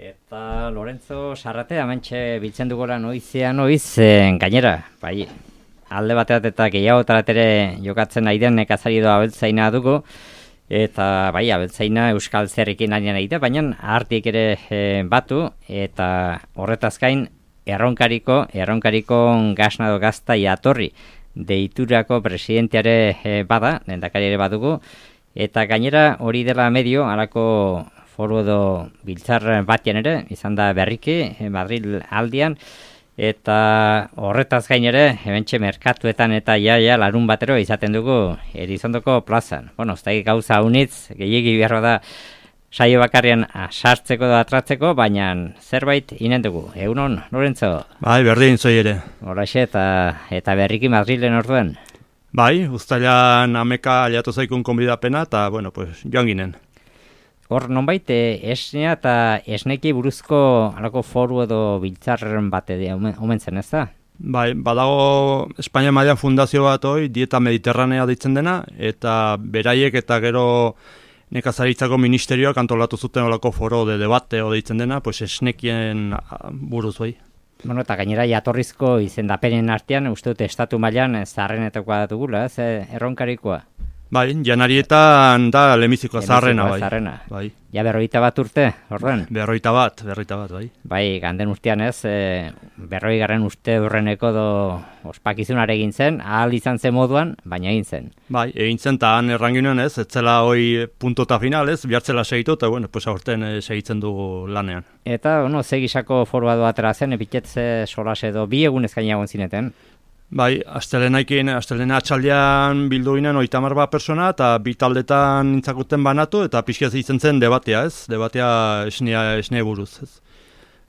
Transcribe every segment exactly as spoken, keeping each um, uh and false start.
Eta Lorenzo Sarrate, amantxe biltzen dugora noizean noiz, eh, gainera, bai, alde bateat eta gehiago ere jokatzen nahi den nekazari edo abeltzaina dugu, eta bai, abeltzaina euskal zerrekin ari nahi da, baina artik ere eh, batu, eta horretaz gain, erronkariko, erronkariko gasna edo gazta jatorri deiturako presidenteare eh, bada, lehendakari ere badugu, eta gainera hori dela medio, halako foru edo biltzar batean ere, izan da berriki, Madril aldian, eta horretaz gain ere, hementxe merkatuetan eta jaia larun batero izaten dugu Erizondoko plazan. Bueno, ez da gauza unitz, gehiegi beharra da saio bakarrian sartzeko da atratzeko, baina zerbait inen dugu. Egunon, Lorenzo? Bai, berdin zoi ere. Horaxe, eta, eta berriki Madrilen orduan? Bai, uztailan ameka aliatu zaikun konbidapena, eta, bueno, pues, joan ginen. Hor, nonbait, esnea eta esneki buruzko alako foru edo biltzarren bate omen zen, ez da? Bai, badago Espainia mailan fundazio bat hoi, dieta mediterranea deitzen dena, eta beraiek eta gero nekazaritzako ministerioak antolatu zuten olako foro de debate o deitzen dena, pues esnekien buruz bai. Bueno, eta gainera jatorrizko izendapenen artean, uste dut estatu mailan zaharrenetakoa dugula, ez erronkarikoa? Bai, janarietan da lemizikoa zaharrena, bai. Zaharrena. Bai. Ja berroita bat urte, horren? Berroita bat, berroita bat, bai. Bai, ganden urtean ez, e, berroi garren uste urreneko do ospakizunare egin zen, ahal izan zen moduan, baina egin zen. Bai, egin zen, eta han erranginoen ez, etzela hoi puntota final ez, bihartzela segitu, eta bueno, pues aurten e, segitzen dugu lanean. Eta, bueno, zegisako forua doatera zen, epitetze solas edo bi egun ezkaina egon zineten? Bai, astelenaikin, astelena atxaldean bildu ginen oitamar bat persona, eta bi taldetan nintzakuten banatu, eta pixkaz izan zen debatea, ez? Debatea esnea, esnea buruz, ez?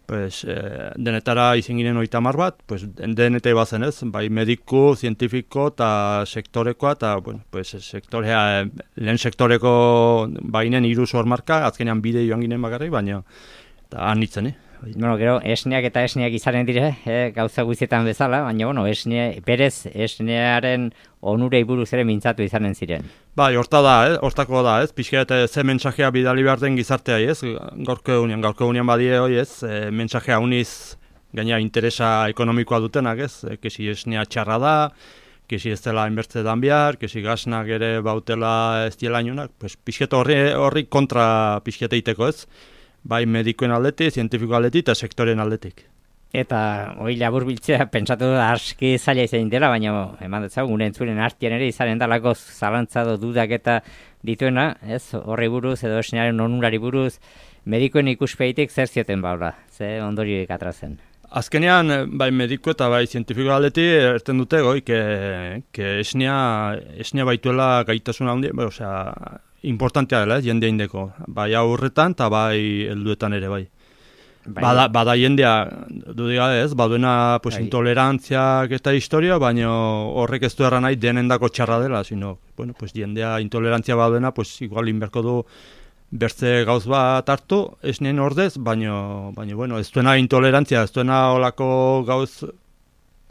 Pues, eh, denetara izin ginen oitamar bat, pues, denete bazen, ez? Bai, mediku, zientifiko, eta sektorekoa, eta, bueno, pues, sektorea, lehen sektoreko bainen hiru sormarka, azkenean bide joan ginen bakarrik, baina, eta han nitzen, eh? Bueno, gero, esneak eta esneak izanen dire, eh, gauza guztietan bezala, baina, bueno, esne, berez esnearen onurei buruz ere mintzatu izanen ziren. Bai, horta da, eh? Hortako da, ez? Pixka eta ze mentsajea bidali behar den gizartea, ez? Gaurko egunean, gaurko egunean badie hoi, ez? E, mentsajea uniz, gaina interesa ekonomikoa dutenak, ez? E, kesi esnea txarra da, kesi ez dela inbertze dan behar, kesi gasnak ere bautela ez diela inunak, pues, pixka horri, horri kontra pixka eiteko, ez? Bai medikoen aldetik, zientifiko aldetik eta sektoren aldetik. Eta hori labur biltzea, pentsatu da aski zaila izan dela, baina eman dut gure entzuren artean ere izaren dalako zalantzado dudak eta dituena, ez horri buruz edo esnearen onurari buruz, medikoen ikuspeitik zer zioten baula, ze ondorioik atrazen. Azkenean, bai mediko eta bai zientifiko aldetik erten dute goi, que, que esnea, esnea baituela gaitasuna handi, bai, osea, importantea dela, jende indeko. Bai aurretan eta bai helduetan ere bai. bai. Bada, bada jendea, dudiga ez, baduena pues, bai. Intolerantziak eta historia, baina horrek ez du erran nahi denendako txarra dela, sino, bueno, pues, jendea intolerantzia baduena, pues, igual inberko du bertze gauz bat hartu, esneen ordez, baina, baina bueno, ez duena intolerantzia, ez duena olako gauz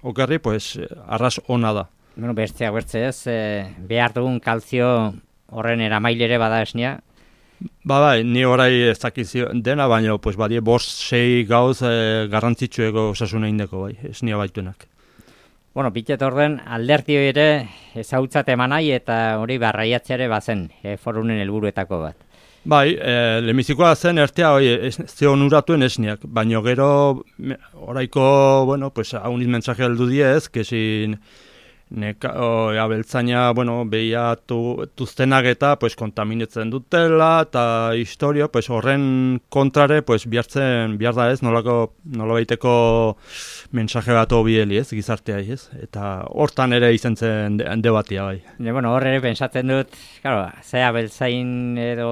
okerri, pues, arras ona da. Bueno, bertzea, bertze ez, eh, behar dugun kalzio horren eramailere bada esnea? Ba bai, ni orai ez dakizio dena, baina pues, badie bost sei gauz e, garrantzitsueko osasuna indeko bai, esnea baituenak. Bueno, pitet orden alderti ere ezautzat emanai eta hori barraiatzeare bazen e, forunen helburuetako bat. Bai, e, lemizikoa zen ertea hori ze onuratuen esneak, baina gero oraiko, bueno, pues, hauniz mensaje heldu diez, kesin Neka, o, abeltzaina, bueno, behiatu tuztenak eta pues, kontaminetzen dutela eta historia, pues, horren kontrare pues, bihartzen, bihar da ez, nolako, nola baiteko mensaje bat obieli ez, gizartea ez, eta hortan ere izan zen debatia bai. Ne, bueno, hor ere pensatzen dut, claro, ze abeltzain edo,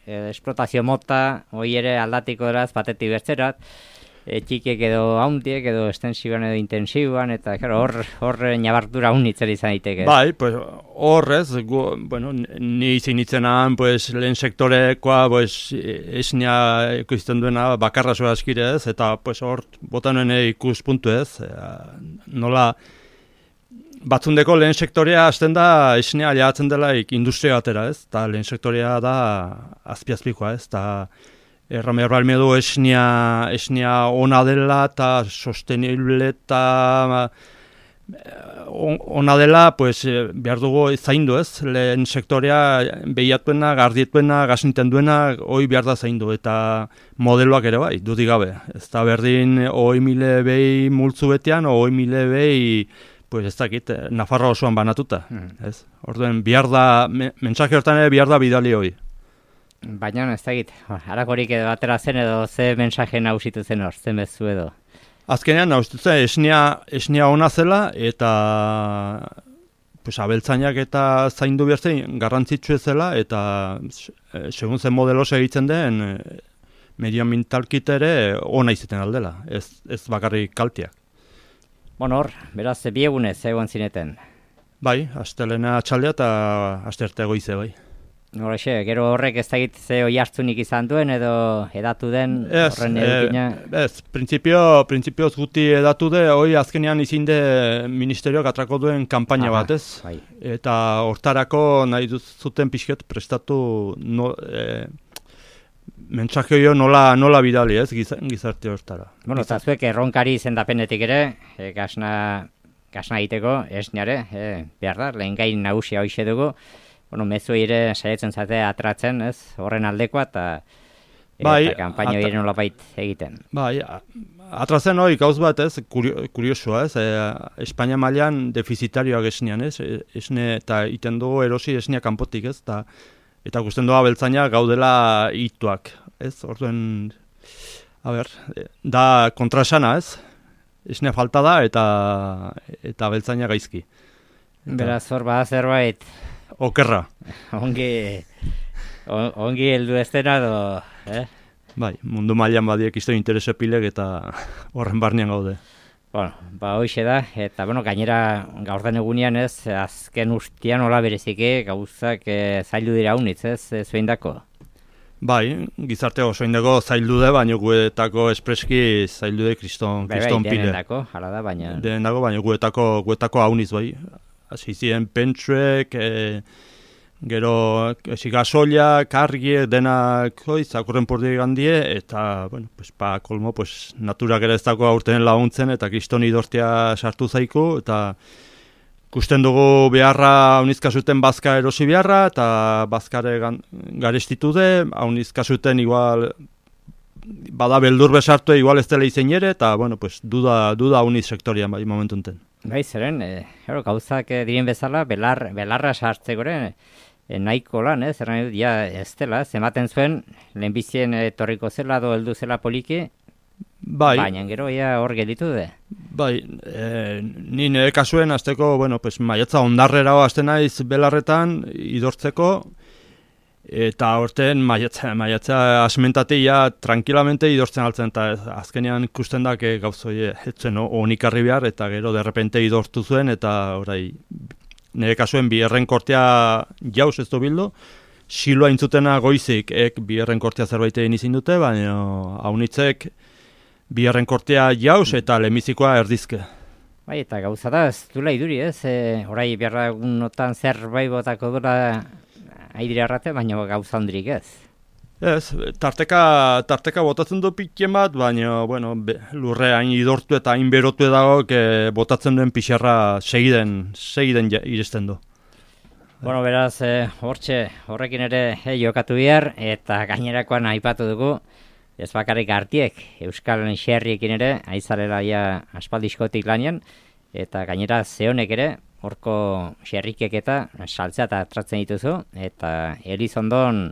edo esplotazio mota, hori ere aldatiko eraz, batetik bertzerat, E, txikek edo hauntiek edo estensiboan edo intensiboan, eta hor hor nabardura unitzen izan daiteke. Bai, pues horrez, gu, bueno, ni izin itzenan, pues, lehen sektorekoa, pues, esnea ikusten duena bakarra zoa askirez, eta pues, hor botanuen ikuspuntu ez, e, nola batzundeko lehen sektorea hasten da esnea jatzen dela industria batera ez, eta lehen sektorea da azpiazpikoa ez, eta erran behar balme du esnia, esnia ona dela eta sostenible eta ona dela, pues, behar dugu zaindu ez, lehen sektorea behiatuena, gardietuena, gazinten duena, hoi behar da zaindu, eta modeloak ere bai, dudik gabe. Ez da berdin, hoi mile behi multzu betean, hoi mile behi, pues ez dakit, Nafarroa osoan banatuta. Hmm. Ez? Orduen, behar da, mensaje hortan ere behar da bidali hoi. Baina, ez dakit, harakorik edo atera zen edo ze mensaje nausitu zen hor, zen bezu edo. Azkenean, nausitzen, esnia, esnia ona zela, eta pues, abeltzainak eta zaindu behar zen garrantzitsu zela, eta segun zen modelo segitzen den, medioambientalkit ere ona izaten aldela, ez, ez bakarrik kaltiak. Bueno, hor, beraz, bi egunez egon zineten. Bai, astelena atxaldea eta asterte goize bai. Horrexe, gero horrek ez dakit ze oi hartzunik izan duen edo edatu den horren edukina? Ez, printzipio, printzipioz guti edatu de, hoi azkenean izin de ministerioak atrako duen kanpaina bat, ez? Bai. Eta hortarako nahi zuten pixket prestatu no, e, mentsake hori nola, nola bidali, ez, gizarte hortara. Bueno, eta zuek erronkari izendapenetik ere, e, gasna, gasna egiteko, esniare, e, behar da, lehen gain nagusia hoxe dugu, bueno, mezu ere saietzen zate atratzen, ez, horren aldekoa, eta bai, kanpaino ere nolapait egiten. Bai, atratzen hori gauz bat, ez, kuriosua, ez, e, Espainia mailan defizitarioak esnean, ez, esne, eta iten dugu erosi esnea kanpotik, ez, eta eta gusten doa beltzaina gaudela ituak, ez, orduen, a ber, da kontrasana, ez, esnea falta da, eta eta beltzaina gaizki. Eta, beraz, hor bada zerbait, okerra. Ongi, on, ongi heldu ez dena do, eh? Bai, mundu mailan badiek izte interese pilek eta horren barnean gaude. Bueno, ba hoxe da, eta bueno, gainera gaur den egunean ez, azken ustian hola bereziki gauzak e, zaildu dira unitz, ez, zueindako? Bai, gizarte oso indako zaildu de, baina guetako espreski zaildu de kriston, kriston pile. Bai, bai, denendako, hala da, baina... Denendako, baina guetako, guetako hauniz, bai. Azizien pentsuek, e, gero esi gasolia, kargie, denak zakurren pordi gandie, eta, bueno, pues, pa, kolmo, pues, naturak ere ez dago aurten laguntzen, eta kriston idortia sartu zaiku, eta ikusten dugu beharra haunizka zuten bazka erosi beharra, eta bazkare garestitu de, haunizka zuten igual, bada beldur besartu, igual ez dela izen ere, eta, bueno, pues, duda, duda hauniz sektorian, bai, momentu enten. Bai, zeren, e, ero, gauzak e, diren bezala, belar, belarra sartzeko ere, e, nahiko lan, ez, erran dut, ja, ez dela, zematen zuen, lehenbizien etorriko zela, do heldu zela poliki, bai, baina gero, ja, hor gelditu de. Bai, e, ni nire kasuen, azteko, bueno, pues, maiatza ondarrera azten naiz belarretan, idortzeko, eta horten maiatza, maiatza asmentatia tranquilamente idortzen altzen, eta azkenean ikusten da gauzoi etzen honikarri behar, eta gero derrepente idortu zuen, eta orai, nire kasuen biherren kortea jauz ez du bildu, siloa intzutena goizik ek biherren kortea zerbait egin izin dute, baina haunitzek biherren kortea jauz eta lemizikoa erdizke. Bai, eta gauza da, ez dula iduri, ez? E, orai biherra egunotan zerbait botako dura aidire arrate, baina gauza ondrik ez. Ez, tarteka, tarteka botatzen du pitien bat, baina bueno, be, lurre hain idortu eta hain berotu dago, que botatzen duen pixarra segiden, segiden ja, iristen du. Bueno, beraz, eh, hortxe, horrekin ere eh, jokatu behar, eta gainerakoan aipatu dugu, ez bakarrik artiek, Euskal Xerriekin ere, aizarela ja aspaldiskotik lanian, eta gainera zehonek ere, horko xerrikek eta saltzea eta tratzen dituzu, eta Elizondon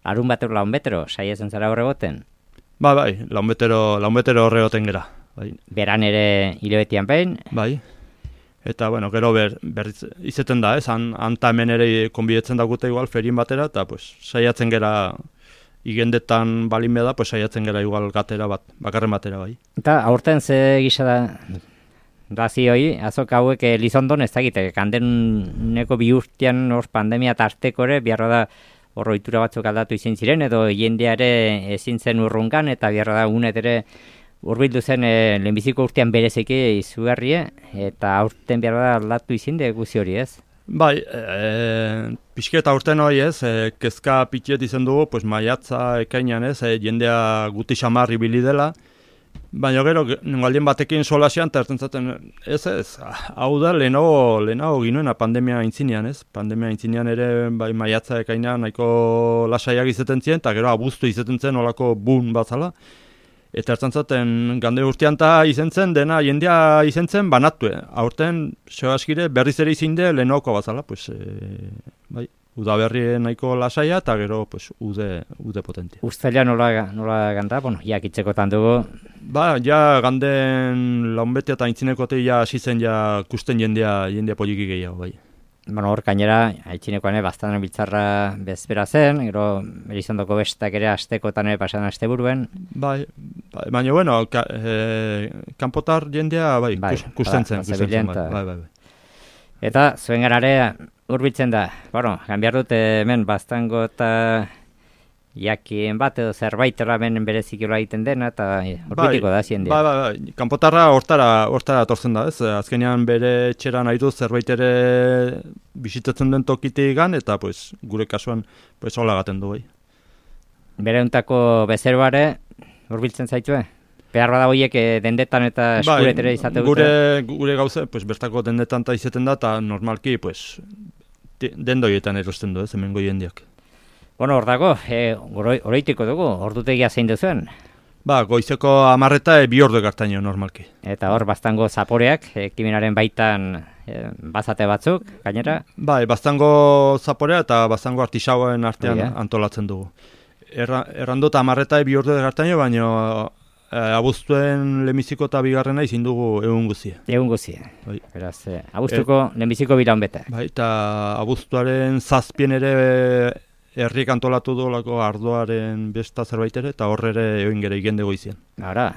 larun batero laun betero, saietzen zara horre goten? Ba, bai, laun betero, laun betero horre goten gera. Bai. Beran ere hilabetian behin? Bai, eta bueno, gero ber, ber izeten da, ez, han, hanta hemen ere konbidetzen dakute igual ferin batera, eta pues, saiatzen gera igendetan balin beda, pues, saiatzen gera igual gatera bat, bakarren batera bai. Eta aurten ze gisa da... Dazi hoi, azok hauek Elizondon ez dakite, kandeneko bi urtean hor pandemia tarteko ere, biharra da hor ohitura batzuk aldatu izin ziren, edo jendeare ezin zen urrungan, eta biharra da unet ere urbildu zen e, lehenbiziko urtean bereziki izugarrie, eta aurten biharra da aldatu izin de guzi hori ez? Bai, e, pixketa urten hori ez, e, kezka pitiet izan dugu, pues maiatza ekainan ez, e, jendea guti xamarri bili dela, baina gero, galdien batekin solasian, eta erten zaten, ez ez, hau da, lehenago, lehenago ginoena pandemia aintzinean ez, pandemia aintzinean ere, bai maiatza ekainan nahiko lasaiak izaten ziren, eta gero abuztu izaten zen olako bun batzala, eta ertzen zaten, gande urtean eta izen zen, dena jendea izen zen, banatu. Aurten, sebaskire, berriz ere izinde lehenoko bazala, pues, e, bai, udaberri nahiko lasaia, eta gero, pues, ude, ude potentia. Uztaila nola, nola ganda, bueno, jakitzekotan dugu. Ba, ja, ganden launbete eta aintzinekote ja hasi zen ja kusten jendea, jendea poliki gehiago, bai. Bueno, hor gainera, haitxinekoan bastan biltzarra bezpera zen, gero Elizondoko bestak ere astekotan ere pasan aste buruen. Bai, bai, baina bueno, ka, e, kanpotar jendea bai, bai kus, kusten zen, kusten zen, bai, bai, bai. Eta zuen garare hurbiltzen da, bueno, ganbiar dut hemen bastango eta jakin bat edo zerbait hemen berezik jola egiten dena, eta horbiltiko da zien dira. Bai, bai, bai, kanpotarra hortara, hortara torzen da, ez? Azkenean bere txeran nahi du zerbait ere bisitatzen den tokitik gan, eta pues, gure kasuan pues, hola gaten du, bai. Bere untako bezeroare hurbiltzen zaitue? Behar bada horiek dendetan eta eskuretere izate dute? Gure, gure gauze, pues, bertako dendetan eta izaten da, eta normalki pues, dendoietan erosten du, ez, hemengo jendeak. Bueno, hor dago, e, oroitiko dugu, ordutegia zein duzuen? Ba, goizeko amarreta e, bi ordu ekartaino normalki. Eta hor, bastango zaporeak, ekimenaren baitan e, bazate batzuk, gainera? Ba, e, bastango zaporea eta bastango artisauen artean Oia. antolatzen dugu. Erra, errandota amarreta e, bi ordu ekartaino, baina e, abuztuen lehenbiziko eta bigarrena izin dugu egun guzia. Egun guzia. Bai. Beraz, e, abuztuko e, lehenbiziko biraun bete. Bai, eta abuztuaren zazpien ere herriek antolatu dolako ardoaren besta zerbait ere, eta horre ere egin gere igende goizian. Ara.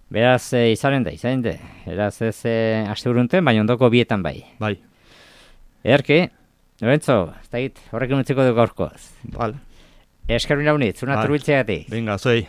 Beraz, e, izanen da, izanen da. Beraz ez e, aste burunten, baina ondoko bietan bai. Bai. Erki, Lorenzo, ez da hit, horrekin utziko dugu gaurkoz. Vale. Eskerrin launit, zuna turbiltzeagatik. Venga, zoi.